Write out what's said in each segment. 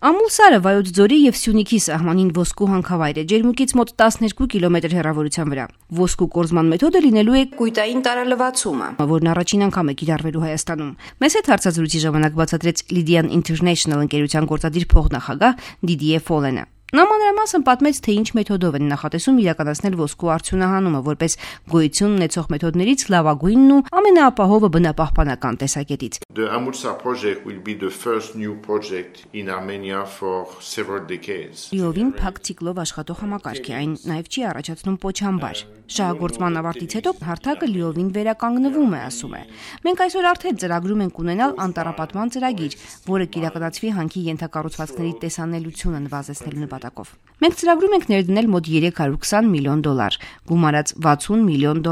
Ամուլսարը Վայոց ձորի եւ Սյունիքի սահմանին ոսկու հանքավայր է, ջերմուկից մոտ 12 կիլոմետր հեռավորության վրա։ Ոսկու կորզման մեթոդը լինելու է կույտային տարալվացումը, որն առաջին անգամ է կիրառվելու Հայաստանում։ Մեզ հետ հարցազրույցի ժամանակ բացատրեց Lydian International ընկերության գործադիր փոխնախագահ Didier Follene։ Նա մանրամասն պատմեց, թե ինչ մեթոդով են նախատեսում իրականացնել ոսկու արդյունահանումը որպես գոյություն ունեցող մեթոդներից լավագույնն ու ամենաապահովը բնապահպանական տեսակետից։ The Amulsar project will be the first new project in Armenia for several decades. Լիովին փակ ցիկլով աշխատող համակարգ է, այն նաև չի առաջացնում պոչամբար։ Շահագործման ավարտից հետո հարթակը լիովին վերականգնվում է, ասում է։ Մենք այսօր արդեն ծրագրում ենք ունենալ անտառապատման ծրագիր, որը կիրականացվի հանքի ենթակառուցվածքների տեսանելիությունը նվազեցնելու նպատակով։ Մենք ծրագրում ենք ներդնել մոտ $320 միլիոն, գումարած $60 միլիոն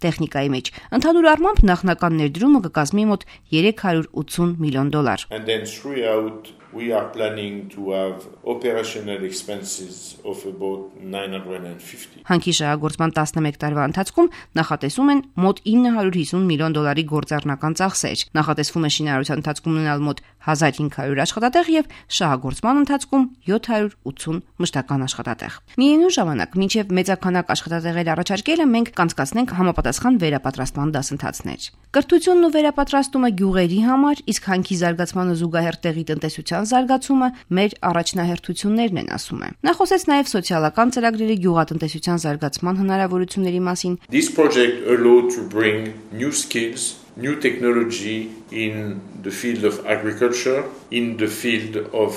տեխնիկայի մեջ։ Ընդհանուր առմամբ նախնական ներդրումը կկազմի մոտ $380 միլիոն։ And then throughout we are planning to have operational expenses of about 950. Հանքի շահագործման 11 տարվա ընթացքում նախատեսում են մոտ $950 միլիոն գործառնական ծախսեր։ Նախատեսվում է շինարարության ընթացքում ունենալ մոտ 1500 աշխատատեղ եւ շահագործման ընթացքում 780 մշտական աշխատատեղ։ Միևնույն ժամանակ, մինչև մեծաքանակ աշխատատեղեր առաջարկելը մենք կանցկացնենք համապատասխան վերապատրաստման դասընթացներ։ Կրթությունն ու վերապատրաստումը գյուղերի համար, իսկ հանքի զարգացմանը զուգահեռ տեղի տնտեսության զարգացումը մեր առաջնահերթություններն են, ասում է։ Նա խոսեց նաև սոցիալական ծրագրերի գյուղատնտեսության զարգացման հնարավորությունների մասին։ This project allowed to bring new skills, new technology in the field of agriculture, in the field of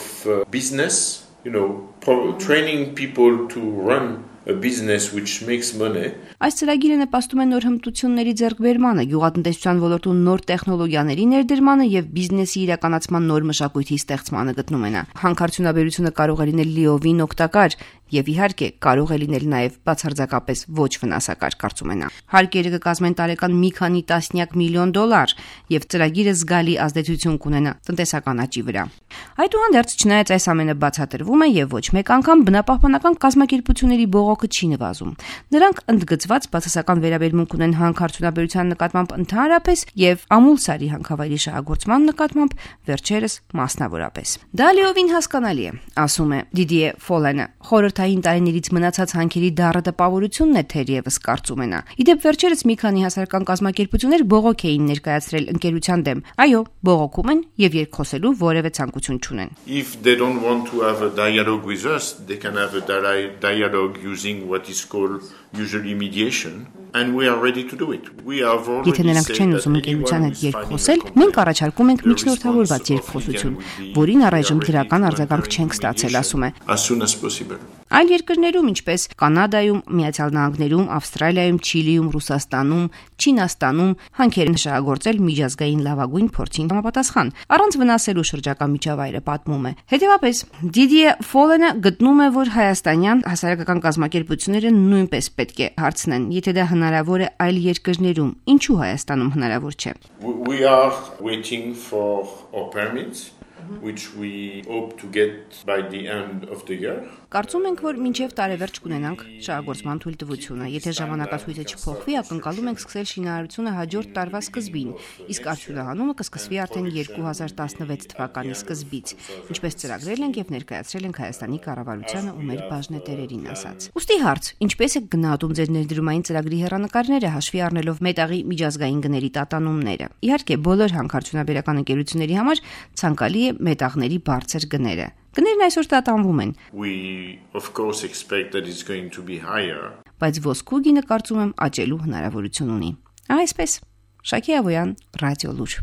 business, training people to run a business which makes money. Այս ծրագիրը նպաստում է նոր հմտությունների ձեռքբերմանը, գյուղատնտեսության ոլորտում նոր տեխնոլոգիաների ներդրմանը եւ բիզնեսի իրականացման նոր մշակույթի ստեղծմանը, գտնում է նա։ Հանքարդյունաբերությունը կարող է լինել լիովին օգտակար եւ իհարկե կարող է լինել նաեւ բացարձակապես ոչ վնասակար, կարծում է նա։ Հարկերը կկազմեն տարեկան մի քանի տասնյակ միլիոն $, եւ ծրագիրը զգալի ազդեցություն կունենա տնտեսական աճի վրա։ Այդուհանդերձ, չնայած այս ամենը բացատրվում է եւ ոչ մեկ անգամ բնապահպանական կազմակերպությունների բողոքը չի նվազում։ Նրանք ընդգծված բացասական վերաբերմունք ունեն հանքարդյունաբերության նկատմամբ ընդհանրապես եւ Ամուլսարի հանքավայրի շահագործման նկատմամբ վերջերս մասնավորապես։ Դա լիովին հասկանալի է, ասում է Didier Follene։ Խորհրդային տարիներից մնացած հանքերի դառը տպավորությունն է, թերևս, կարծում է նա։ Իդեպ վերջերս մի քանի հասարակական կազմակերպություններ բողոք էին ներկայացրել ընկերության դեմ։ Այո, բողոքում են եւ երկխոսելու որևէ ցանկություն չունեն։ If they don't want to have a dialogue with us, they can have a dialogue using what is called usually mediation, and we are ready to do it. We have already Եթե նրանք չեն ուզում ընկերության հետ երկխոսել, մենք առաջարկում ենք միջնորդավորված երկխոսություն, որին առայժմ դրական արձագանք չենք ստացել, ասում է։ As soon as possible. Այլ երկրներում, ինչպես Կանադայում, Միացյալ Նահանգներում, Ավստրալիայում, Չիլիում, Ռուսաստանում, Չինաստանում հանքեր են շահագործել միջազգային լավագույն փորձին համապատասխան, առանց վնասելու շրջակա միջավայրը, պատմում է։ Հետևաբար, Didier Follene գտնում է, որ հայաստանյան հասարակական կազմակերպությունները նույնպես պետք է հարցնեն, եթե դա հնարավոր է այլ երկրներում, ինչու Հայաստանում հնարավոր չէ։ We are waiting for our permits, which we hope to get by the end of the year. Կարծում ենք, որ մինչև տարեվերջ կունենանք շահագործման թույլտվությունը։ Եթե ժամանակացույցը չփոխվի, ակնկալում ենք սկսել շինարարությունը հաջորդ տարվա սկզբին, իսկ արդյունահանումը կսկսվի արդեն 2016 թվականի սկզբից, ինչպես ծրագրել ենք եւ ներկայացրել ենք Հայաստանի կառավարությանը ու մեր բաժնետերերին, ասաց։ Ուստի հարց. ինչպես է գնահատում ձեր ներդրումային ծրագրի հեռանկարները, հաշվի առնելով մետաղի միջազգային գների տատանումները։ Իհարկե, բոլոր հանքարդյունաբերական ընկերությունների համար ցանկալի է մետաղների բարձր գները։ Գներն այսօր տատանվում են։ We of course expect that it's going to be higher. Բայց ոսկու գինը, կարծում եմ, աճելու հնարավորություն ունի։ Այսպես, Շակի Ավոյան, Ռադիո Լուր։